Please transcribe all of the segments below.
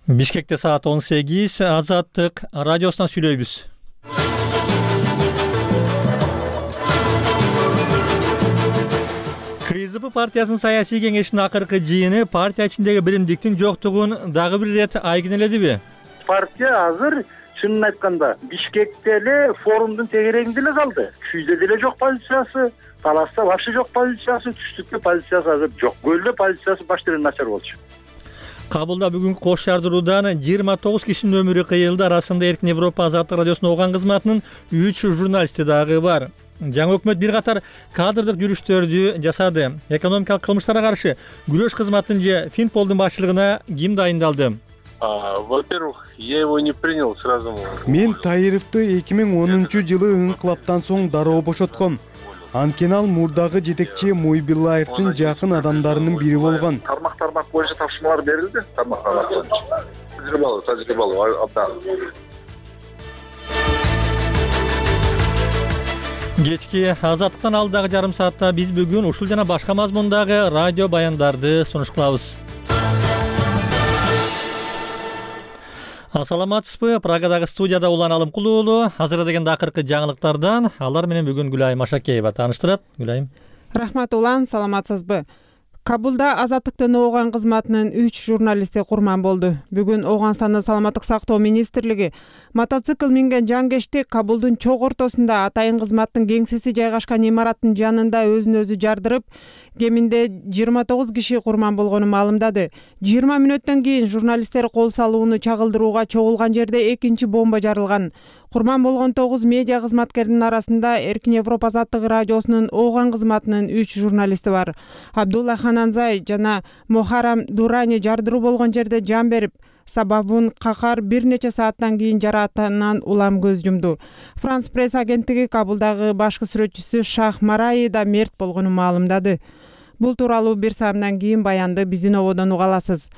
Бишкекте саат 18, Азаттык радиосунан сүйлөйбүз. КСДП партиясынын саясий кеңешинин акыркы жыйыны партия ичиндеги биримдиктин жоктугун дагы бир ирет айгинеледиби? Партия азыр чынын айтканда Бишкекте эле форумдун тегерегинде эле калды. Күйдө деле жок позициясы, Таласта вообще жок позициясы, түштүктө позициясы азыр жок. Көлдө позициясы баштан начар болчу. Кабылда бүгүнкү кош жардыруудан 29 кишинин өмүрү кыйылды. Арасында Эркин Европа Азаттык радиосунун Оган кызматынын 3 журналисти дагы бар. Жаңы өкмөт бир катар кадрдык жүрүштөрдү жасады. Экономикалык кылмыштарга каршы күрөш кызматынын же Финполдун башчылыгына ким дайындалды? Во-первых, я его не принял сразу. Мен Таировду 2010-жылы ыңкылаптан соң дароо бошотком. Анткени ал мурдагы жетекчи Муйбилаевдин жакын адамдарынын бири болгон. Тармак боюнча тапшырмалар берилди. Тармак тажрыйбалуу абдан. Кечки Азаттыктан алдагы жарым саатта биз бүгүн ушул жана башка мазмундагы радио баяндарды сунуш кылабыз. Ассаламатсызбы? Прагадагы студияда Улан Алымкулуу уулу. Азыр дегенде акыркы жаңылыктардан алар менен бүгүн Гүлайым Ашакеева тааныштырат. Гүлайым. Рахмат Улан, саламатсызбы? Кабулда Азаттыктын Оган кызматынын 3 журналисти курман болду. Бүгүн Оганстандын саламаттык сактоо министрлиги мотоцикл минген жангечти Кабулдун чок ортосунда атайын кызматтын кеңсеси жайгашкан имараттын жанында өзүн өзү жардырып, кеминде 29 киши курман болгону маалымдады. 20 мүнөттөн кийин журналисттер кол салууну чагылдырууга чогулган жерде экинчи бомба жарылган. Курман болгон 9 медиа кызматкердин арасында Эркин Европа Азаттык радиосунун Оган кызматынын 3 журналисти бар. Абдулла Хананзай жана Мохарам Дурани жардыруу болгон жерде жан берип, сабабын какар бир нече сааттан кийин жараатынан улам көз жумду. Франс пресс агенттиги Кабулдагы башкы сүрөтчүсү Шах Мараи да мерт болгонун маалымдады. Бул тууралуу бир саамдан кийин баянды биздин ободон уга аласыз.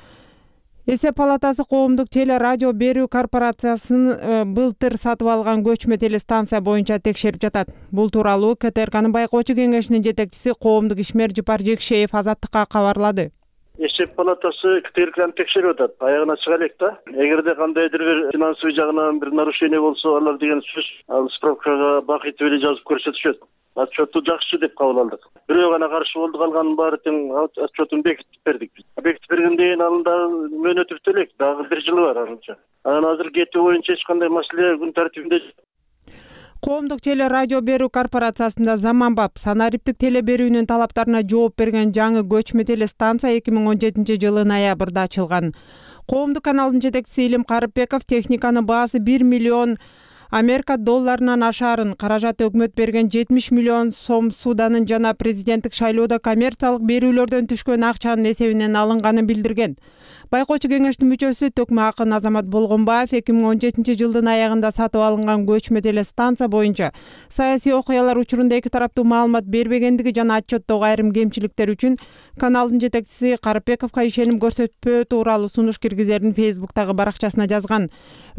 Эсеп палатасы коомдук теле радио берүү корпорациясын былтыр сатып алган көчмө телестанция боюнча текшерип жатат. Бул тууралуу КТРКнын байкоочу кеңешинин жетекчиси коомдук ишмер Жыпар Жекшеев Азаттыкка кабарлады. Эсеп палатасы КТРКны текшерип атат. Аягына чыга элек да. Эгерде кандайдыр бир финансовый жагынан бир нарушение болсо, алар деген сөз ал справкага бакыт эле жазып көрсөтүшөт. Отчету жакшы деп кабыл алдык. Бирөө гана каршы болду, калганын баары тең отчетун бекитип бердик. Бекитип бергенден кийин анын дагы мөөнөтү бүтө элек, дагы 1 жылы бар анча. Анан азыр кетүү боюнча эч кандай маселе күн тартибинде. Коомдук теле радио берүү корпорациясында заманбап санариптик теле берүүнүн талаптарына жооп берген жаңы көчмө телестанция 2017-жылы ноябрда ачылган. Коомдук каналдын жетекчиси Илим Карыпбеков техниканын баасы 1 миллион Америка долларынан ашаарын, каражаты өкмөт берген 70 миллион сом Суданын жана президенттик шайлоодо коммерциялык берүүлөрдөн түшкөн акчанын эсебинен алынганын билдирген. Байкоочу кеңештин мүчөсү Төкмө Акын Азамат Болгонбаев 2017-жылдын аягында сатып алынган көчмө телестанция боюнча саясий окуялар учурунда эки тараптуу маалымат бербегендиги жана отчеттогу айрым кемчиликтер үчүн каналдын жетекчиси Карыпбековго ишеним көрсөтпөө тууралуу сунуш киргизерин Фейсбуктагы баракчасына жазган.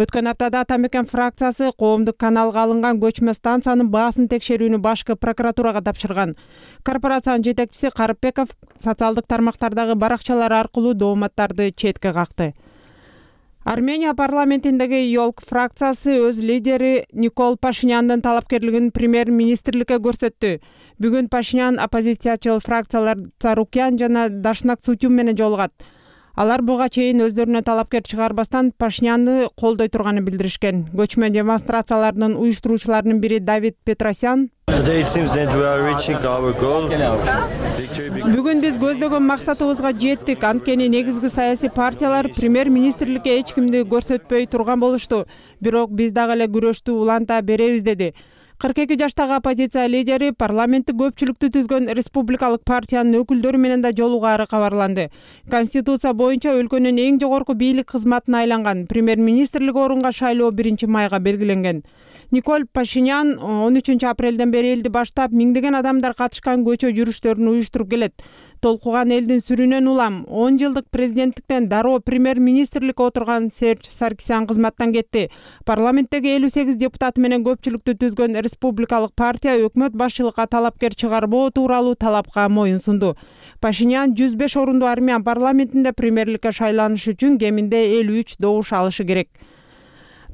Өткөн аптада Ата Мекен фракциясы коомдук каналга алынган көчмө станциянын баасын текшерүүнү башкы прокуратурага тапшырган. Корпорациянын жетекчиси Карыпбеков социалдык тармактардагы баракчалар аркылуу дооматтарды четке какты. Армения парламентиндеги ЙОЛК фракциясы өз лидери Никол Пашиняндын талапкерлигин премьер-министрликке көрсөттү. Бүгүн Пашинян оппозициячыл фракциялар Царукян жана Дашнак Цутюм менен жолугат. Алар буга чейин өздөрүнө талапкер чыгарбастан Пашинянды колдой турганын билдиришкен. Көчмө демонстрациялардын уюштуруучуларынын бири Давид Петросян Бүгүн биз көздөгөн максатыбызга жеттик. Анткени негизги саясий партиялар премьер-министрликке эч кимди көрсөтпөй турган болушту. Бирок биз дагы эле күрөштү уланта беребиз деди. 42 жаштагы оппозиция лидери парламенттик көпчүлүктү түзгөн республикалык партиянын өкүлдөрү менен да жолугаары кабарланды. Конституция боюнча өлкөнүн эң жогорку бийлик кызматына айланган премьер-министрлик орунга шайлоо 1-майга белгиленген. Никол Пашинян 13 апрелден бери элди баштап миңдеген адамдар катышкан көчө жүрүштөрүн уюштуруп келет. Толкуган элдин сүрүнөн улам 10 жылдык президенттиктен дароо премьер-министрликке отурган Серж Саркисян кызматтан кетти. Парламенттеги 58 депутаты менен көпчүлүктү түзгөн республикалык партия өкмөт башчылыкка талапкер чыгарбоо тууралуу талапка моюн сунду. Пашинян 105 орундуу армян парламентинде премьерликке шайланыш үчүн кеминде 53 добуш алышы керек.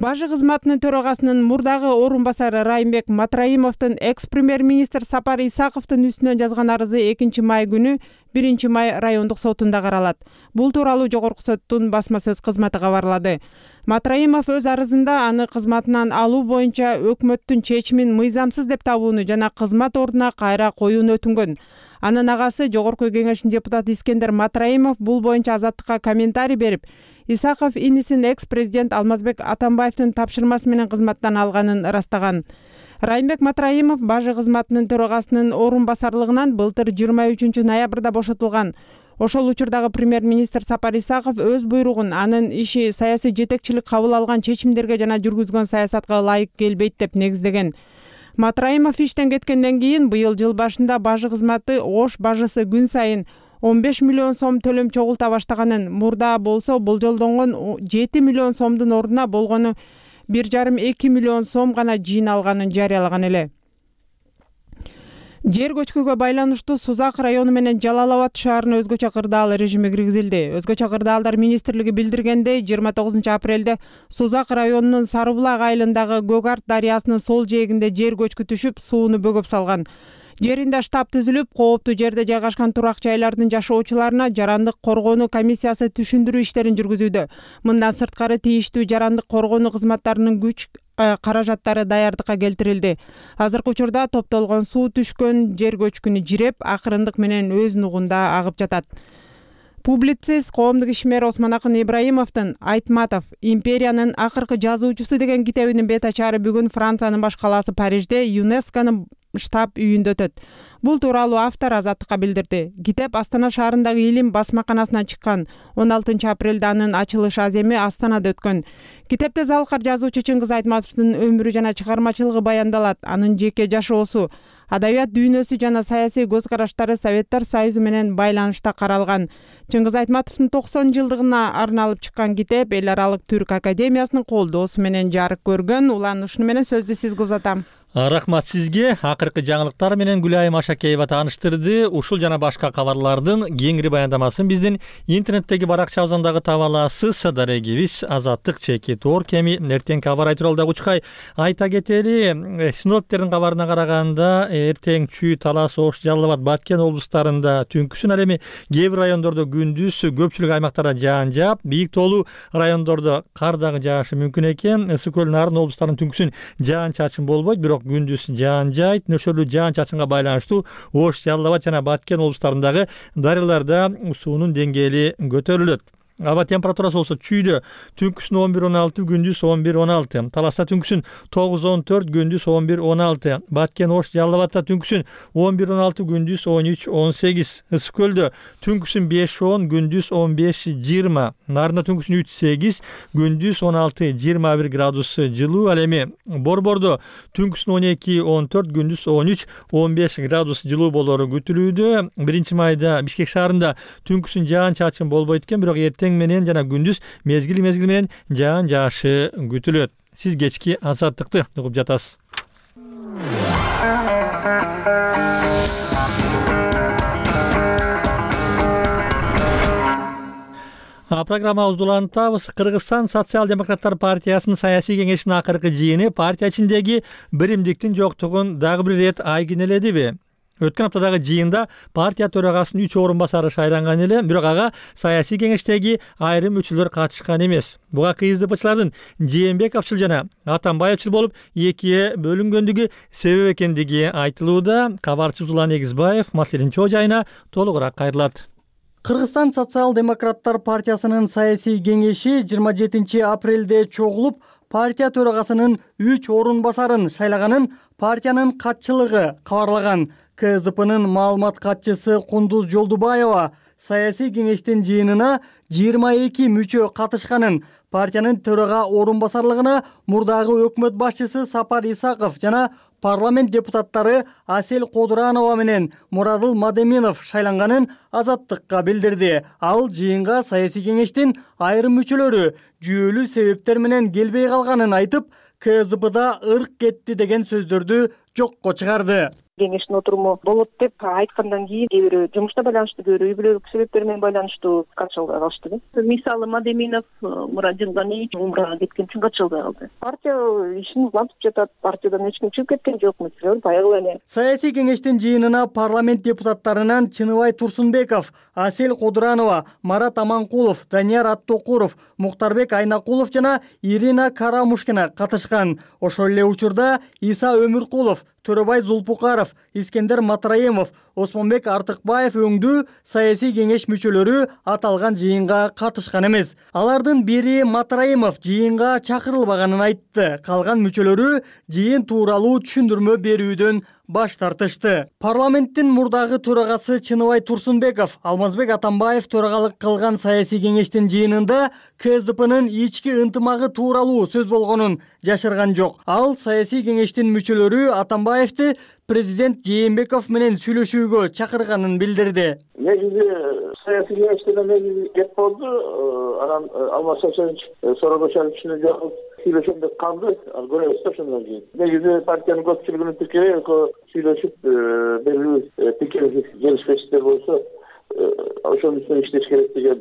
Бажы кызматынын төрагасынын мурдагы орун басары Райымбек Матраимовдун экс-премьер-министр Сапар Исаковдун үстүнөн жазган арызы 2 май күнү 1 май райондук сотунда каралат. Бул тууралуу жогорку соттун басма сөз кызматы кабарлады. Матраимов өз арызында аны кызматынан алуу боюнча өкмөттүн чечимин мыйзамсыз деп табууну жана кызмат ордуна кайра коюуну өтүнгөн. Анын агасы жогорку кеңештин депутаты Искендер Матраимов бул боюнча Азаттыкка комментарий берип, Исаков инисин экс-президент Алмазбек Атамбаевдин тапшырмасы менен кызматтан алганын ырастаган. Райымбек Матраимов бажы кызматынын төрагасынын орун басарлыгынан былтыр 23 ноябрда бошотулган. Ошол учурдагы премьер-министр Сапар Исаков өз буйругун анын иши саясий жетекчилик кабыл алган чечимдерге жана жүргүзгөн саясатка ылайык келбейт деп негиздеген. Матраимов иштен кеткенден кийин быйыл жыл башында бажы кызматы Ош бажысы күн сайын 15 миллион сом төлөм чогулта баштаганын, мурда болсо болжолдонгон 7 миллион сомдун ордуна болгону 1,5-2 миллион сом гана жыйналганын жарыялаган эле. Жер көчкүгө байланыштуу Сузак району менен Жалал Абад шаарына өзгөчө кырдаал режими киргизилди. Өзгөчө кырдаалдар министрлиги билдиргендей, 29 апрелде Сузак районунун Сарыбулак айылындагы Көк Арт дарыясынын сол жээгинде жер көчкү түшүп, сууну бөгөп салган. Жеринде штаб түзүлүп, кооптуу жерде жайгашкан турак жайлардын жашоочуларына жарандык коргоону комиссиясы түшүндүрүү иштерин жүргүзүүдө. Мындан сырткары тийиштүү жарандык коргоону кызматтарынын күч каражаттары даярдыкка келтирилди. Азыркы учурда топтолгон суу түшкөн жер көчкүнү жиреп, акырындык менен өз нугунда агып жатат. Публицист, коомдук ишмер Осмонакын Ибраимовдун Айтматов «Империянын акыркы жазуучусу» деген китебинин бет ачары бүгүн Франциянын баш калаасы Парижде ЮНЕСКОнун штаб үйүндө өтөт. Бул тууралуу автор Азаттыкка билдирди. Китеп Астана шаарындагы Илим басмаканасынан чыккан. 16 апрелде анын ачылыш аземи Астанада өткөн. Китепте залкар жазуучу Чыңгыз Айтматовдун өмүрү жана чыгармачылыгы баяндалат. Анын жеке жашоосу, адабият дүйнөсү жана саясий көз караштары Советтер Союзу менен байланышта каралган. Чыңгыз Айтматовдун 90 жылдыгына арналып чыккан китеп Эл аралык Түрк академиясынын колдоосу менен жарык көргөн. Улан ушуну менен сөздү сизге узатам. Рахмат сизге. Акыркы жаңылыктар менен Гүлайым Ашакеева тааныштырды. Ушул жана башка кабарлардын кеңири баяндамасын биздин интернеттеги баракчабыздан таба аласыз. Дарегибиз Азаттык /Tor-Kemi эртең кабар айтуралдагы учкай айта кетели. Синоптиктердин кабарына караганда эртең Чүй, Талас, Ош, Жалал Абад, Баткен облустарында түнкүсүн, ал эми кээ бир райондордо күндүз көпчүлүк аймактарда жаан жаап, бийик тоолуу райондордо кар дагы жаашы мүмкүн экен. Ысык көл, Нарын облустарынын түнкүсүн жаан чачын болбойт, бирок күндүз жаан жайт. Нөшөрлүү жаан чачынга байланыштуу Ош, Жалал Абад жана Баткен облустарындагы дарыяларда суунун деңгээли көтөрүлөт. Аба температурасы болсо Чүйдө түнкүсүн 11-16, күндүз 11-16. Таласта түнкүсүн 9-14, күндүз 11-16. Баткен, Ош, Жалал Абадта түнкүсүн 11-16, күндүз 13-18. Ысык көлдө түнкүсүн 5-10, күндүз 15-20. Нарында түнкүсүн 3-8, күндүз 16-21 градус жылуу. Ал эми Борбордо түнкүсүн 12-14, күндүз 13-15 градус жылуу болору күтүлүүдө. 1 майда Бишкек шаарында түнкүсүн жаан чачын болбойт экен, бирок эртең менен жана күндүз мезгил менен жаан жаашы күтүлөт. Сиз кечки Азаттыкты угуп жатасыз. Программабызды улантабыз. Кыргызстан социал-демократтар партиясынын саясий кеңешинин акыркы жыйыны партия ичиндеги биримдиктин жоктугун дагы бир ирет айгинеледиби? Өткөн аптадагы жыйында партия төрагасынын 3 орун басары шайланган эле, бирок ага саясий кеңештеги айрым мүчөлөр катышкан эмес. Буга КСДПчылардын Жээнбековчул жана Атамбаевчул болуп экиге бөлүнгөндүгү себеп экендиги айтылууда. Кабарчыбыз Улан Эгизбаев маселенин чоо жайына толугураак кайрылат. Кыргызстан социал-демократтар партиясынын саясий кеңеши 27 апрелде чогулуп, партия төрагасынын 3 орун басарын шайлаганын партиянын катчылыгы кабарлаган. КСДПнын маалымат катчысы Кундуз Жолдубаева саясий кеңештин жыйынына 22 мүчө катышканын, партиянын төрага орун басарлыгына мурдагы өкмөт башчысы Сапар Исаков жана парламент депутаттары Асел Кодуранова менен Мурадыл Мадеминов шайланганын Азаттыкка билдирди. Ал жыйынга саясий кеңештин айрым мүчөлөрү жүйөлүү себептер менен келбей калганын айтып, КСДПда ырк кетти деген сөздөрдү жокко чыгарды. кеңештин отуруму болот деп айткандан кийин кээ бирөө жумушта байланыштуу, кээ бирөө үй бүлөлүк себептер менен байланыштуу катыша албай калышты. Мисалы Мадеминов мурда Жылгани умрага кеткен үчүн катыша албай калды. Партия ишин улантып жатат, партиядан эч ким чыгып кеткен жок, мисалы баягы эле. Саясий кеңештин жыйынына парламент депутаттарынан Чыныбай Турсунбеков, Асель Кодуранова, Марат Аманкулов, Данияр Аттокуров, Муктарбек Айнакулов жана Ирина Карамушкина катышкан. Ошол эле учурда Иса Өмүркулов, Төрөбай Зулпукаров, Искендер Матраимов, Осмонбек Артыкбаев өңдүү саясий кеңеш мүчөлөрү аталган жыйынга катышкан эмес. Алардын бири Матраимов жыйынга чакырылбаганын айтты. Калган мүчөлөрү жыйын тууралуу түшүндүрмө берүүдөн баш тартышты. Парламенттин мурдагы төрагасы Чыныбай Турсунбеков Алмазбек Атамбаев төрагалык кылган саясий кеңештин жыйынында КСДПнын ички ынтымагы тууралуу сөз болгонун жашырган жок. Ал саясий кеңештин мүчөлөрү Атамбаевди президент Жээнбеков менен сүйлөшүүгө чакырганын билдирди. Негизи саясий кеңеште негизи кеп болду. Анан Алмаз Шашевич Соробошевичтин жагып сүйлөшөм деп калды. Көрөбүз да ошондон кийин. Негизи партиянын көпчүлүгүнүн пикири сүйлөшүп белгилүү пикир келишпештер болсо ошонун үстүнө иштеш керек деген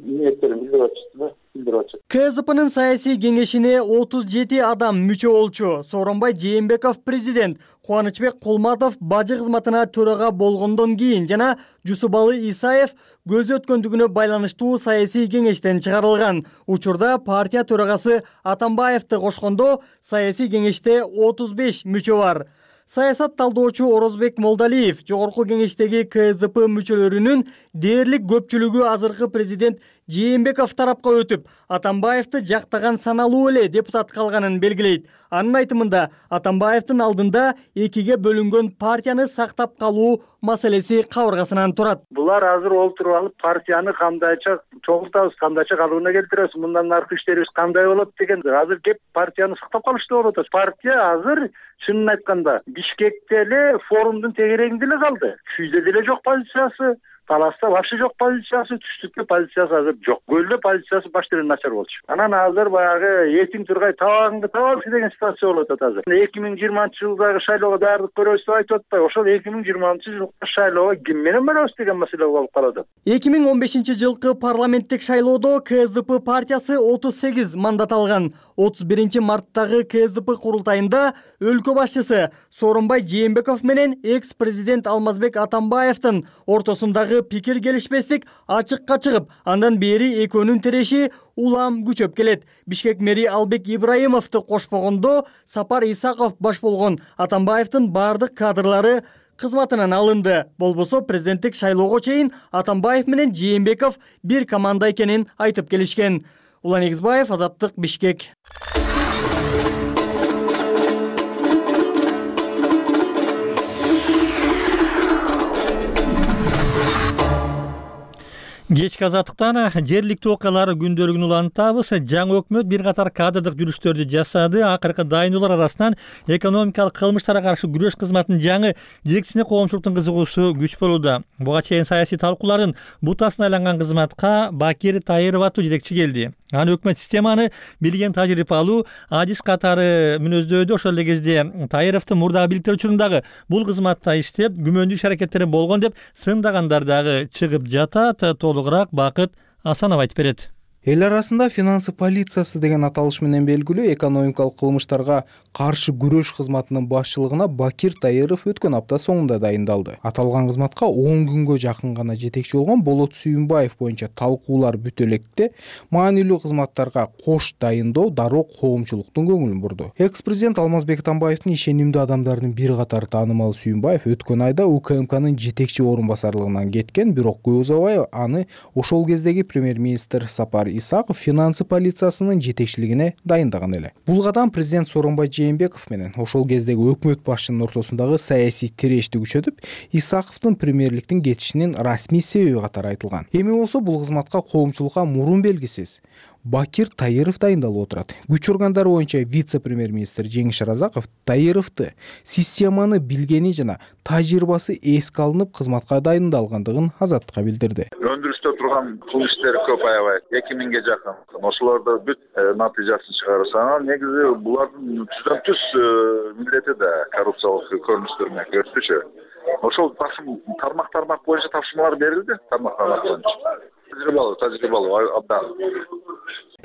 ниеттерин билдирип атышты. КСДПнын саясий кеңешине 37 адам мүчө болчу. Сооронбай Жээнбеков президент, Кубанычбек Кулматов бажы кызматына төрага болгондон кийин жана Жусубалы Исаев көзү өткөндүгүнө байланыштуу саясий кеңештен чыгарылган. Учурда партия төрагасы Атамбаевди кошкондо саясий кеңеште 35 мүчө бар. Саясат талдоочу Орозбек Молдалиев жогорку кеңештеги КСДП мүчөлөрүнүн дээрлик көпчүлүгү азыркы президент Жээнбеков тарапка өтүп, Атамбаевди жактаган саналуу эле депутат калганын белгилейт. Анын айтымында Атамбаевдин алдында экиге бөлүнгөн партияны сактап калуу маселеси кабыргасынан турат. Булар азыр олтуруп алып партияны кандайча чоңуртабыз, кандайча калыбына келтиребиз, мындан аркы иштерибиз кандай болот деген. Азыр кеп партияны сактап калыштуу болуп атат. Партия азыр чынын айтканда Бишкекте эле форумдун тегерегинде эле калды. Күйдө деле жок позициясы. Таласта вообще жок позициясы, түштүктө позициясы азыр жок. Көлдө позициясы баштан начар болчу. Анан азыр баягы этиң тургай табагыңды табабыз деген ситуация болуп атат азыр. 2020-жылдагы шайлоого даярдык көрөбүз деп айтып атпайбы? Ошол 2020-жылкы шайлоого ким менен барабыз деген маселе болуп калат. 2015-жылкы парламенттик шайлоодо КСДП партиясы 38 мандат алган. 31-марттагы КСДП курултайында өлкө башчысы Сооронбай Жээнбеков менен экс-президент Алмазбек Атамбаевдин ортосундагы пикир келишпестик ачыкка чыгып, андан бери экөөнүн тиреши улам күчөп келет. Бишкек мэри Албек Ибраимовду кошпогондо Сапар Исаков баш болгон Атамбаевдин бардык кадрлары кызматынан алынды. Болбосо президенттик шайлоого чейин Атамбаев менен Жээнбеков бир команда экенин айтып келишкен. Улан Эгизбаев, Азаттык, Бишкек. Кечки Азаттыктан жергиликтүү окуялар күндөлүгүн улантабыз. Жаңы өкмөт бир катар кадрдык жүрүштөрдү жасады. Акыркы дайындоолор арасынан экономикалык кылмыштарга каршы күрөш кызматынын жаңы жетекчисине коомчулуктун кызыгуусу күч болууда. Буга чейин саясий талкуулардын бутасына айланган кызматка Бакир Тайыров аттуу жетекчи келди. Аны өкмөт системаны билген тажрыйбалуу адис катары мүнөздөдү. Ошол эле кезде Тайыровдун мурдагы бийликтер учурундагы бул кызматта иштеп, күмөндүү иш аракеттери болгон деп сындагандар дагы чыгып жатат. Толугураак Бакыт Асанов айтып берет. Эл арасында финансы полициясы деген аталыш менен белгилүү экономикалык кылмыштарга каршы күрөш кызматынын башчылыгына Бакир Тайыров өткөн апта соңунда дайындалды. Аталган кызматка 10 күнгө жакын гана жетекчи болгон Болот Сүйүнбаев боюнча талкуулар бүтө электе маанилүү кызматтарга кош дайындоо дароо коомчулуктун көңүлүн бурду. Экс-президент Алмазбек Атамбаевдин ишенимдүү адамдарынын бир катары таанымал Сүйүнбаев өткөн айда УКМКнын жетекчи орун басарлыгынан кеткен, бирок көп узабай аны ошол кездеги премьер-министр Сапар Исаков финансы полициясынын жетекчилигине дайындаган эле. Бул кадам президент Сооронбай Жээнбеков менен ошол кездеги өкмөт башчынын ортосундагы саясий тирешти күчөтүп, Исаковдун премьерликтин кетишинин расмий себеби катары айтылган. Эми болсо бул кызматка коомчулукка мурун белгисиз Бакир Тайыров дайындалып отурат. Күч органдары боюнча вице-премьер-министр Жеңиш Разаков Тайыровду системаны билгени жана тажрыйбасы эске алынып кызматка дайындалгандыгын Азаттыкка билдирди. Өндүрүс жүрүштө турган кылмыш иштери көп аябай 2000ге жакын. Ошолорду бүт натыйжасын чыгарса, негизи булардын түздөн түз милдети да коррупциялык көрүнүштөр менен көрсөтүшү. Ошол тармак боюнча тапшырмалар берилди, тармак боюнча. Тажрыйбалуу абдан.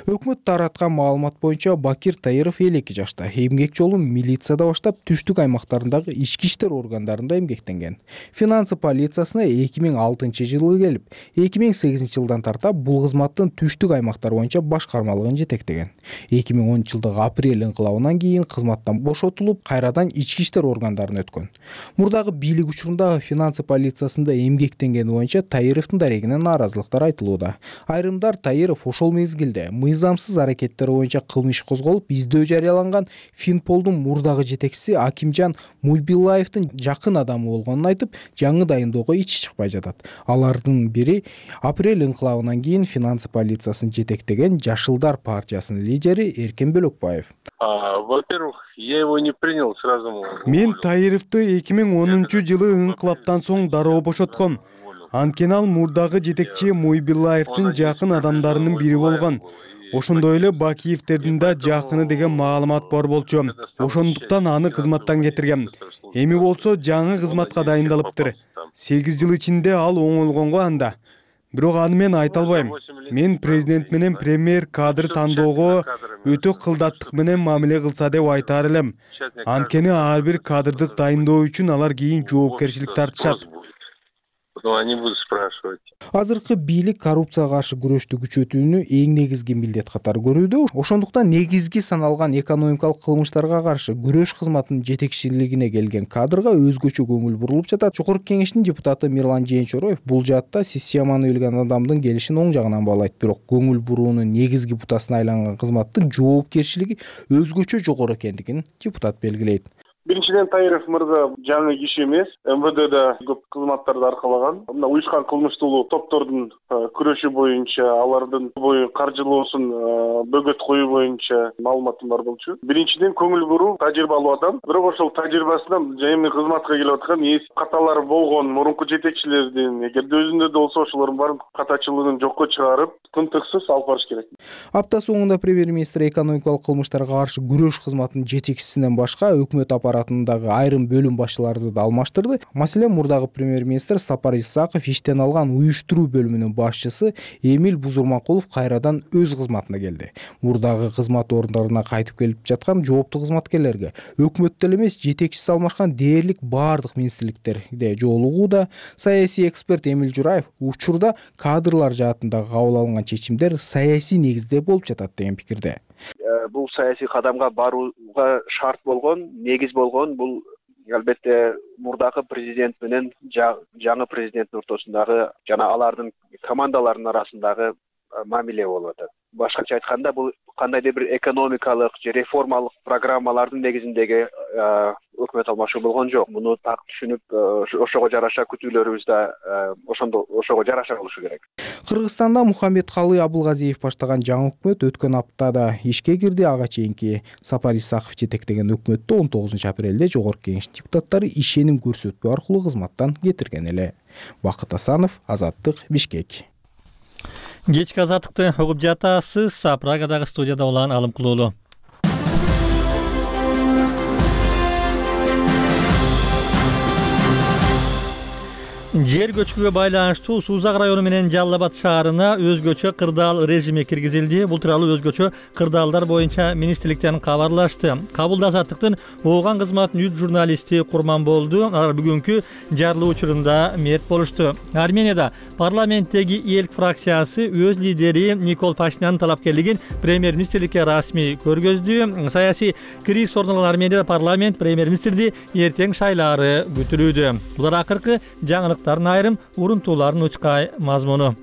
Өкмөт тараткан маалымат боюнча Бакир Таиров 52 жашта. Эмгек жолун милицияда баштап, түштүк аймактарындагы ички иштер органдарында эмгектенген. Финансы полициясына 2006 жылы келип, 2008 жылдан тарта бул кызматтын түштүк аймактар боюнча башкармалыгын жетектеген. 2010 жылдагы апрель инкылабынан кийин кызматтан бошотулуп, кайрадан ички иштер органдарына өткөн. Мурдагы бийлик учурунда финансы полициясында эмгектенгени боюнча Таировдун дарегинен нааразылыктар айтылууда. Айрымдар Таиров ошол мезгилде мыйзамсыз аракеттер боюнча кылмыш козголуп, издөө жарыяланган Финполдун мурдагы жетекчиси Акимжан Муйбилаевдин жакын адамы болгонун айтып, жаңы дайындоого ичи чыкпай жатат. Алардын бири апрель инкылабынан кийин финансы полициясын жетектеген Жашылдар партиясынын лидери Эркен Бөлөкбаев. Во-первых, я его не принял сразу. Мен Таировду 2010 жылы инкылаптан соң дароо бошотком. Анткени ал мурдагы жетекчи Муйбилаевдин жакын адамдарынын бири болгон. Ошондой эле Бакиевдердин да жакыны деген маалымат бар болчу. Ошондуктан аны кызматтан кетиргем. Эми болсо жаңы кызматка дайындалыптыр. 8 жыл ичинде ал оңолгонго анда. Бирок аны мен айта албайм. Мен президент менен премьер кадр тандоого өтө кылдаттык менен мамиле кылса деп айтаар элем. Анткени ар бир кадрдык дайындоо үчүн алар кийин жоопкерчилик тартышат. Они будут спрашивать. Азыркы бийлик коррупцияга каршы күрөштү күчөтүүнү эң негизги милдет катары көрүүдө. Ошондуктан негизги саналган экономикалык кылмыштарга каршы күрөш кызматынын жетекчилигине келген кадрга өзгөчө көңүл бурулуп жатат. Жогорку кеңештин депутаты Мирлан Жээнчороев бул жаатта системаны билген адамдын келишин оң жагынан баалайт. Бирок көңүл буруунун негизги бутасына айланган кызматтын жоопкерчилиги өзгөчө жогору экендигин депутат белгилейт. Биринчиден Таиров мырза жаңы киши эмес, МВДда көп кызматтарды аркалаган. Мына уюшкан кылмыштуулуу топтордун күрөшү боюнча, алардын каржылоосун бөгөт коюу боюнча маалыматым бар болчу. Биринчиден көңүл буруу, тажрыйбалуу адам. Бирок ошол тажрыйбасынан эми кызматка келип аткан каталар болгон мурунку жетекчилердин, эгерде өзүндө да болсо ошолордун баарын катачылыгын жокко чыгарып, тынтыксыз алып барыш керек. Апта соңунда премьер-министр экономикалык кылмыштарга каршы күрөш кызматынын жетекчисинен башка өкмөт аппаратындагы айрым бөлүм башчыларды да алмаштырды. Маселен, мурдагы премьер-министр Сапар Исаков иштен алган уюштуруу бөлүмүнүн башчысы Эмил Бузурманкулов кайрадан өз кызматына келди. Мурдагы кызмат орундарына кайтып келип жаткан жооптуу кызматкерлерге өкмөттө эле эмес, жетекчиси алмашкан дээрлик баардык министрликтерде жолугууда. Саясий эксперт Эмил Жураев учурда кадрлар жаатындагы кабыл алынган чечимдер саясий негизде болуп жатат деген пикирде. Бул саясий кадамга барууга шарт болгон, негиз болгон бул албетте мурдагы президент менен жаңы президенттин ортосундагы жана алардын командаларынын арасындагы мамиле болуп атат. Башкача айтканда, бул кандайдыр бир экономикалык же реформалык программалардын негизиндеги өкмөт алмашуу болгон жок. Муну так түшүнүп, ошого жараша күтүүлөрүбүз да ошого жараша болушу керек. Кыргызстанда Мухаммедкалый Абылгазиев баштаган жаңы өкмөт өткөн аптада ишке кирди. Ага чейинки Сапар Исаков жетектеген өкмөттү 19 апрелде жогорку кеңеш депутаттары ишеним көрсөтпөө аркылуу кызматтан кетирген эле. Бакыт Асанов, Азаттык, Бишкек. Кечки азаттыкты угуп жатасыз. Прагадагы студияда улан Алым Кулуулу. Жер көчкүгө байланыштуу Сузак району менен Жалал Абад шаарына өзгөчө кырдаал режими киргизилди. Бул тууралуу өзгөчө кырдаалдар боюнча министрликтен кабарлашты. Кабылда Азаттыктын ооган кызматынын 100 журналисти курман болду. Алар бүгүнкү жарылуу учурунда мерт болушту. Арменияда парламенттеги ЭЛК фракциясы өз лидери Никол Пашиняндын талапкерлигин премьер-министрликке расмий көргөздү. Саясий криз орун алган Арменияда парламент премьер-министрди эртең шайлаары күтүлүүдө. Булар акыркы жаңылык айрым урунтууларын учкай мазмуну.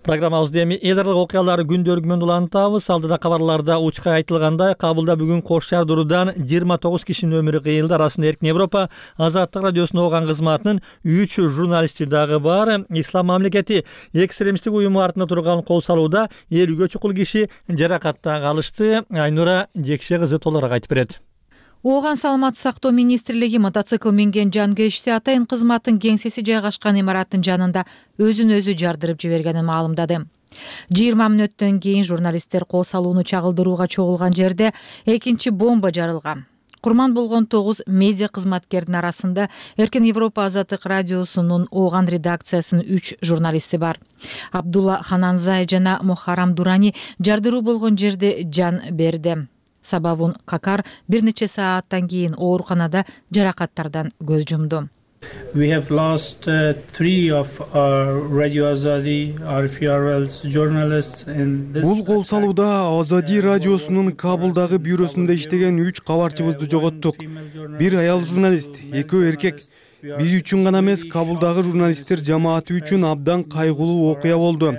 Программабызды эми эл аралык окуялар күндөрү менен улантабыз. Алдыда кабарларда учкай айтылгандай, Кабылда бүгүн Кош шаар Дуруудан 29 кишинин өмүрү кыйылды. Арасында Эркин Европа Азаттык радиосунун ооган кызматынын 3 журналисти дагы бар. Ислам мамлекети экстремисттик уюму артында турган кол салууда 50ге чукул киши жаракатта калышты. Айнура Жекше кызы толугураак айтып берет. Ооган саламаттык сактоо министрлиги мотоцикл минген жангечти атайын кызматтын кеңсеси жайгашкан имараттын жанында өзүн өзү жардырып жибергенин маалымдады. 20 мүнөттөн кийин журналисттер кол салууну чагылдырууга чогулган жерде экинчи бомба жарылган. Курман болгон 9 медиа кызматкердин арасында Эркин Европа Азаттык радиосунун Ооган редакциясынын 3 журналисти бар. Абдулла Хананзай жана Мухаррам Дурани жардыруу болгон жерде жан берди. Сабабын Какар бир нече сааттан кийин ооруканада жаракаттардан көз жумду. We have lost 3 of our Radio Azadi, RFRL's journalists in this. Бул кол салууда Азади радиосунун Кабулдагы бюросунда иштеген 3 кабарчыбызды жоготтук. Бир аял журналист, 2 эркек. Биз үчүн гана эмес, Кабулдагы журналисттер жамааты үчүн абдан кайгылуу окуя болду.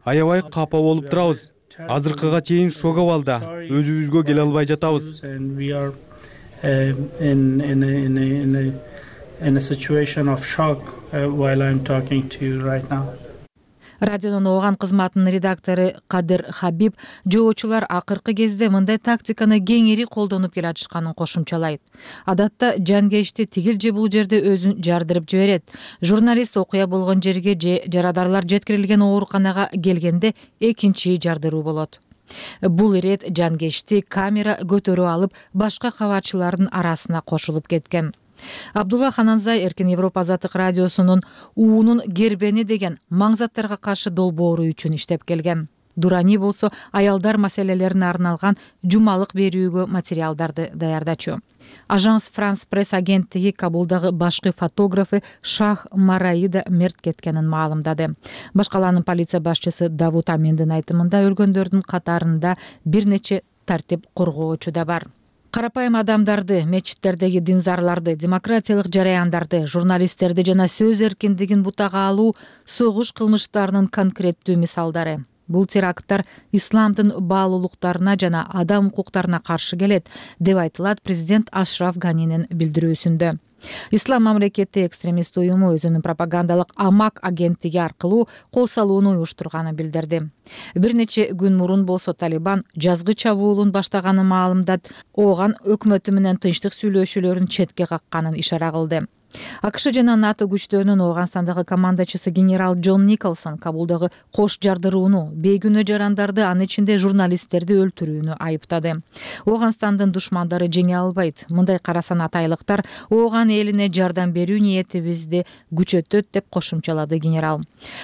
Аябай капа болуп турабыз. Азыркыга чейин шок абалда, өзүбүзгө келе албай жатабыз. In a situation of shock while I'm talking to you right now. Радионун Ооган кызматынын редактору Кадыр Хабиб жоочулар акыркы кезде мындай тактиканы кеңири колдонуп келатышканын кошумчалайт. Адатта жангечти тигил же бул жерде өзүн жардырып жиберет. Журналист окуя болгон жерге же жарадарлар жеткирилген ооруканага келгенде экинчи жардыруу болот. Бул ирет жангечти камера көтөрүп алып башка кабарчылардын арасына кошулуп кеткен. Абдулла Хананзай Эркин Европа Азаттык радиосунун уунун гербени деген маңзаттарга каршы долбоору үчүн иштеп келген. Дурани болсо аялдар маселелерине арналган жумалык берүүгө материалдарды даярдачу. Ажанс Франс пресс агенттиги Кабулдагы башкы фотографы Шах Мараида мерт кеткенин маалымдады. Башкаланын полиция башчысы Давут Аминдин айтымында өлгөндөрдүн катарында бир нече тартип коргоочу да бар. Карапайым адамдарды, мечиттердеги динзарларды, демократиялык жараяндарды, журналисттерди жана сөз эркиндигин бутага алуу согуш кылмыштарынын конкреттүү мисалдары. Бул теракттар исламдын баалуулуктарына жана адам укуктарына каршы келет, деп айтылат президент Ашраф Ганинин билдирүүсүндө. Ислам мамлекети экстремист уюму өзүнүн пропагандалык Амак агенттиги аркылуу кол салууну уюштурганын билдирди. Бир нече күн мурун болсо Талибан жазгы чабуулун баштаганын маалымдап, Ооган өкмөтү менен тынчтык сүйлөшүүлөрүн четке какканын ишара кылды. АКШ жана НАТО күчтөрүнүн Ооганстандагы командачысы генерал Джон Николсон Кабулдагы кош жардырууну, бейгүнөө жарандарды, анын ичинде журналисттерди өлтүрүүнү айыптады. Ооганстандын душмандары жеңе албайт. Мындай карасан атайлыктар Ооган элине жардам берүү ниетибизди күчөтөт, деп кошумчалады генерал.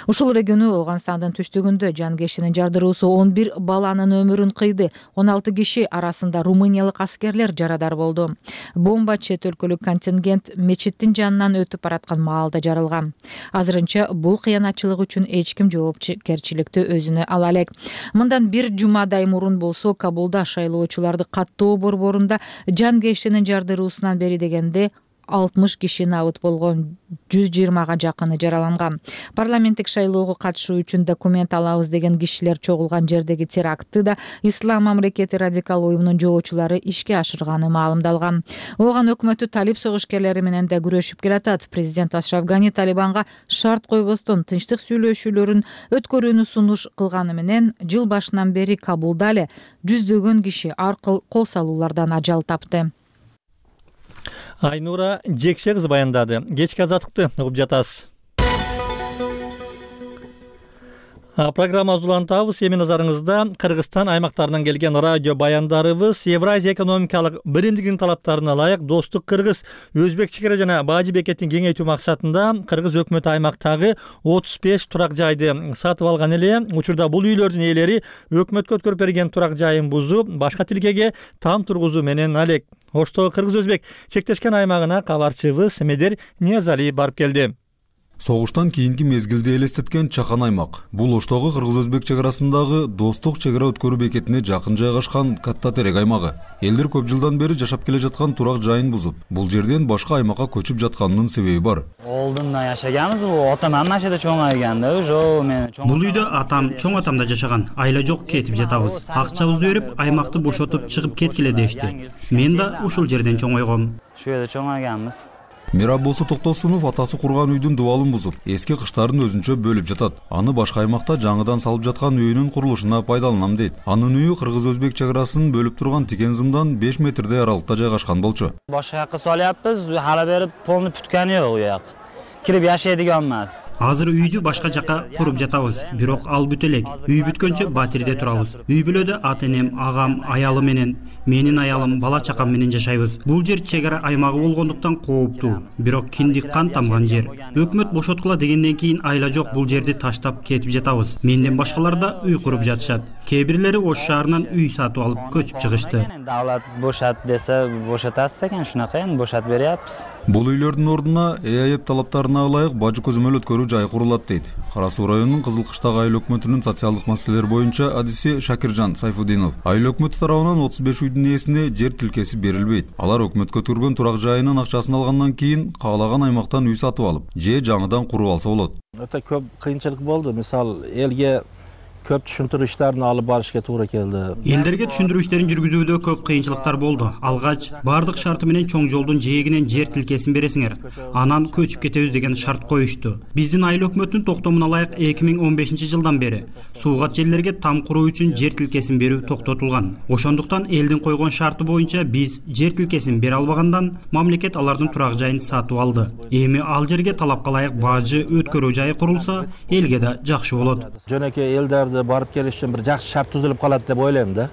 Ушул региону Ооганстандын түштүгүндө жангештинин жардыруусу 11 баланын өмүрүн кыйды. 16 киши арасында румыниялык аскерлер жарадар болду. Бомба чет өлкөлүк контингент мечиттин жанынан өтүп бараткан маалда жарылган. Азырынча бул кыянатчылык үчүн эч ким жоопкерчиликти өзүнө ала элек. Мындан бир жумадай мурун болсо Кабулда шайлоочуларды каттоо борборунда жангештинин жардыруусунан бери дегенде 60 киши набыт болгон, 120га жакыны жараланган. Парламенттик шайлоого катышуу үчүн документ алабыз деген кишилер чогулган жердеги терактты да Ислам мамлекети радикал уюмунун жоочулары ишке ашырганы маалымдалган. Ооган өкмөтү талип согушкерлери менен да күрөшүп келатат. Президент Ашраф Гани Талибанга шарт койбостон тынчтык сүйлөшүүлөрүн өткөрүүнү сунуш кылганы менен жыл башынан бери Кабулда эле жүздөгөн киши аркыл кол салуулардан ажал тапты. Айнура Жекше кызы баяндады. Кечки азаттыкты угуп жатасыз. Программа улантабыз. Эми назарыңызда Кыргызстан аймактарынан келген радио баяндарыбыз Евразия экономикалык биримдигинин талаптарына ылайык Достук Кыргыз, Өзбек чекара жана Бажы бекетин кеңейтүү максатында Кыргыз өкмөтү аймактагы 35 турак жайды сатып алган эле. Учурда бул үйлөрдүн ээлери өкмөткө өткөрүп берген турак жайын бузуп, башка тилкеге там тургузуу менен алек. Ошто Кыргыз-Өзбек чектешкен аймагына кабарчыбыз Медер Ниязали барып келди. Согуштан кийинки мезгилди элестеткен чакан аймак. Бул Оштогу Кыргыз-Өзбек чек арасындагы Достук чегара өткөрүү бекетине жакын жайгашкан катта терек аймагы. Элдер көп жылдан бери жашап келе жаткан турак жайын бузуп, бул жерден башка аймакка көчүп жатканынын себеби бар. Олдунда жашаганбыз, атам машинада чоңойганда, ошо мен Бул үйдө атам, чоң атам да жашаган. Айла жок, кетип жатабыз. Акчабызды берип, аймакты бошотуп чыгып кеткиле дешти. Мен да ушул жерден чоңойгом. Шу жерде чоңойганбыз. Мирабосу Токтосунов атасы курган үйдүн дубалын бузуп, эски кыштарын өзүнчө бөлүп жатат. Аны башка аймакта жаңыдан салып жаткан үйүнүн курулушуна пайдаланам дейт. Анын үйү кыргыз-өзбек чек арасын бөлүп турган тикен зымдан 5 метрдей аралыкта жайгашкан болчу. Башка жакка салыппыз, hala бери полный бүткөнү жок уяк. Кирип жашайдыган эмес. Азыр үйдү башка жакка куруп жатабыз, бирок ал бүт элек. Үй бүткөнчө батирде турабыз. Үй бүлөдө ата-энем, агам, аялым менен, менин аялым, бала чакам менен жашайбыз. Бул жер чек ара аймагы болгондуктан кооптуу, бирок киндик кан тамган жер. Өкмөт бошоткула дегенден кийин айла жок бул жерди таштап кетип жатабыз. Менден башкалар да үй куруп жатышат. Кээ бирлери Ош шаарынан үй сатып алып көчүп чыгышты. Давлат бошот десе бошотасыз экен, шунака эми бошотуп беребиз. Бул үйлөрдүн ордуна ЭАЭП талаптарына ылайык бажы көзөмөл өткөрүү жайы курулат дейт. Кара Суу районунун Кызыл Кыштак айыл өкмөтүнүн социалдык маселелер боюнча адиси Шакиржан Сайфудинов. Айыл өкмөтү тарабынан 35 үйдүн ээсине жер тилкеси берилбейт. Алар өкмөткө өткөргөн турак жайынын акчасын алгандан кийин каалаган аймактан үй сатып алып, же жаңыдан куруп алса болот. Өтө көп кыйынчылык болду. Мисалы, элге көп түшүндүрүү иштерин алып барышка туура келди. Элдерге түшүндүрүү иштерин жүргүзүүдө көп кыйынчылыктар болду. Алгач бардык шарты менен чоң жолдун жээгинен жер тилкесин бересиңер. Анан көчүп кетебиз деген шарт коюшту. Биздин айыл өкмөтүнүн токтомуна ылайык 2015 жылдан бери суугат жерлерге там куруу үчүн жер тилкесин берүү токтотулган. Ошондуктан элдин койгон шарты боюнча биз жер тилкесин бере албагандан мамлекет алардын турак жайын сатып алды. Эми ал жерге талапка ылайык бажы өткөрүү жайы курулса, элге да жакшы болот. Жөнөкөй элдерди барып келиш үчүн бир жакшы шарт түзүлүп калат деп ойлойм да.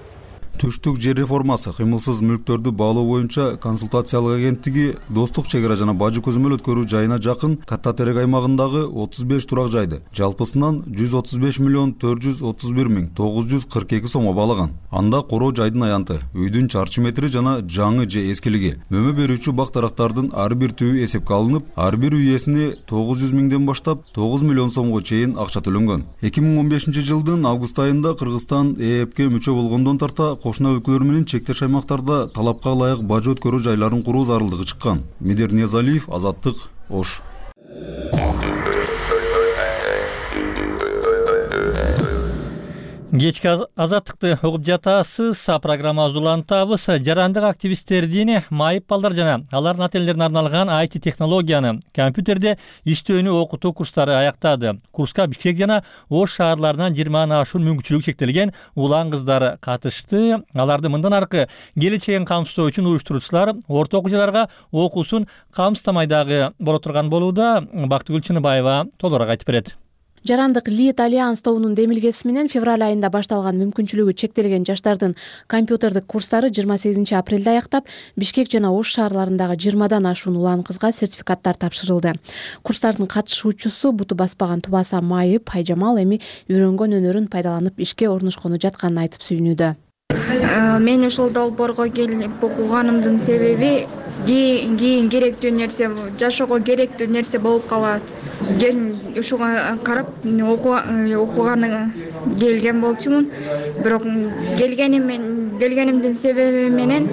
Түштүк жер реформасы кыймылсыз мүлктөрдү баалоо боюнча консультациялык агенттиги Достук чек ара жана бажы көзөмөл өткөрүү жайына жакын Катта Терек аймагындагы 35 турак жайды жалпысынан 135 миллион 431 миң 942 сомго баалаган. Анда короо жайдын аянты, үйдүн чарчы метри жана жаңы же эскилиги, мөмө берүүчү бак дарактардын ар бир түбү эсепке алынып, ар бир үй ээсине 900 миңден баштап 9 миллион сомго чейин акча төлөнгөн. 2015 жылдын август айында Кыргызстан ЭЭПке мүчө болгондон тарта кошуна өлкөлөр менен чектеш аймактарда талапка ылайык бажы өткөрүү жайларын куруу зарылдыгы чыккан. Медер Ниязалиев, Азаттык, Ош. Кечки азаттыкты угуп жатасыз. Программабызды улантабыз. Жарандык активисттердин майып балдар жана алардын ата-энелерине арналган IT технологияны, компьютерде иштөөнү окутуу курстары аяктады. Курска Бишкек жана Ош шаарларынан 20 ашуун мүмкүнчүлүгү чектелген улан кыздар катышты. Аларды мындан аркы келечегин камсыздоо үчүн уюштуруучулар орто окуучуларга окуусун камсыздамай дагы боло турган болууда. Бактыгүл Чыныбаева толугураак айтып берет. Жарандык Лид Альянс тобунун демилгеси менен февраль айында башталган мүмкүнчүлүгү чектелген жаштардын компьютердик курстары 28 апрелде аяктап, Бишкек жана Ош шаарларындагы 20дан ашуун улан кызга сертификаттар тапшырылды. Курстардын катышуучусу буту баспаган Тубаса Майып Айжамал эми үйрөнгөн өнөрүн пайдаланып ишке орношкону жатканын айтып сүйүнүүдө. Мен ушул долбоорго келип окуганымдын себеби кийин керектүү нерсе, жашоого керектүү нерсе болуп калат. Ушуга карап окуганы келген болчумун. Бирок келгенимдин себеби менен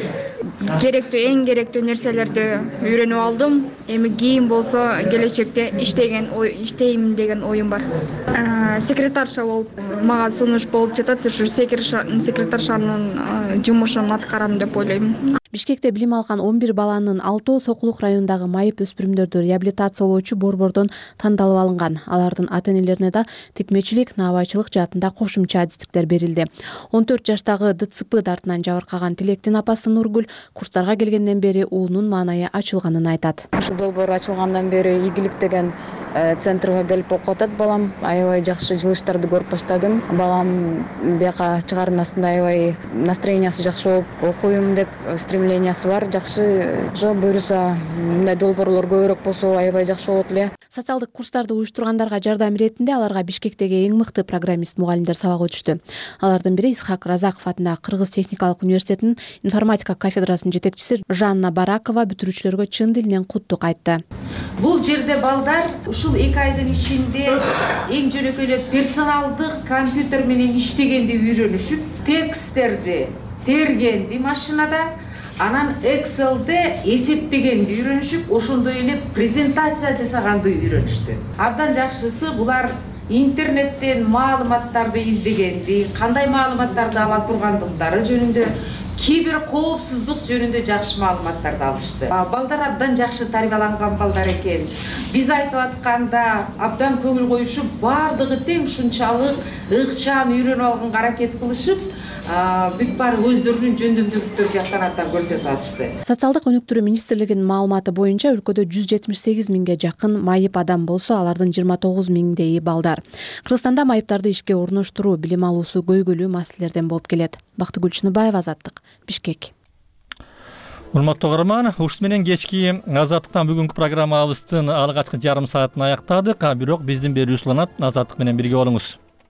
эң керектүү нерселерди үйрөнүп алдым. Эми кийин болсо келечекте иштейм деген оюм бар. Секретарша болуп мага сунуш болуп жатат. Ушу секретаршанын жумушун аткарам деп ойлойм. Бишкекте билим алган 11 баланын 6-өө Сокулук районундагы майып өспүрүмдөрдү реабилитациялоочу борбордон тандалып алынган. Алардын ата-энелерине да тикмечилик, наабайчылык жаатында кошумча адистиктер берилди. 14 жаштагы ДЦП дартынан жабыркаган Тилектин апасы Нургүл курстарга келгенден бери уулунун маанайы ачылганын айтат. Ушул долбоор ачылгандан бери ийгилик деген центрге келип окуп атат балам. Аябай жакшы жылыштарды көрүп баштадым. Балам бияка чыгарынасында аябай настроениясы жакшы болуп, окуйм деп стремлениясы бар. Жакшы буюрса мындай долбоорлор көбүрөөк болсо аябай жакшы болот эле. Социалдык курстарды уюштургандарга жардам иретинде аларга Бишкектеги эң мыкты программист мугалимдер сабак өтүштү. Алардын бири Исхак Разаков атындагы Кыргыз техникалык университетинин информатика кафедрасынын жетекчиси Жанна Баракова бүтүрүүчүлөргө чын дилинен куттук айтты. Бул жерде балдар ушул 2 айдын ичинде эң жөнөкөй персоналдык компьютер менен иштегенди үйрөнүшүп, тексттерди тергенди машинада, анан Excel'де эсептегенди үйрөнүшүп, ошондой эле презентация жасаганды үйрөнүштү. Абдан жакшысы булар интернеттен маалыматтарды издегенди, кандай маалыматтарды ала тургандыктары жөнүндө кээ бир коопсуздук жөнүндө жакшы маалыматтарды алышты. Балдар абдан жакшы тарбияланган балдар экен. Биз айтып атканда абдан көңүл коюшуп, бардыгы тең ушунчалык ыкчам үйрөнүп алганга аракет кылышып, бүт баары өздөрүнүн жөндөмдүүлүктөрүн жактан көрсөтүп атышты. Социалдык өнүктүрүү министрлигинин маалыматы боюнча өлкөдө 178 миңге жакын майып адам болсо, алардын 29 миңдейи балдар. Кыргызстанда майыптарды ишке орноштуруу, билим алуусу көйгөйлүү маселелерден болуп келет. Бактыгүл Чыныбаева, Азаттык, Бишкек. Урматтуу угарман, ушун менен кечки Азаттыктан бүгүнкү программабыздын алгачкы жарым саатын аяктадык. Бирок биздин берүүбүз уланат. Азаттык менен бирге болуңуз.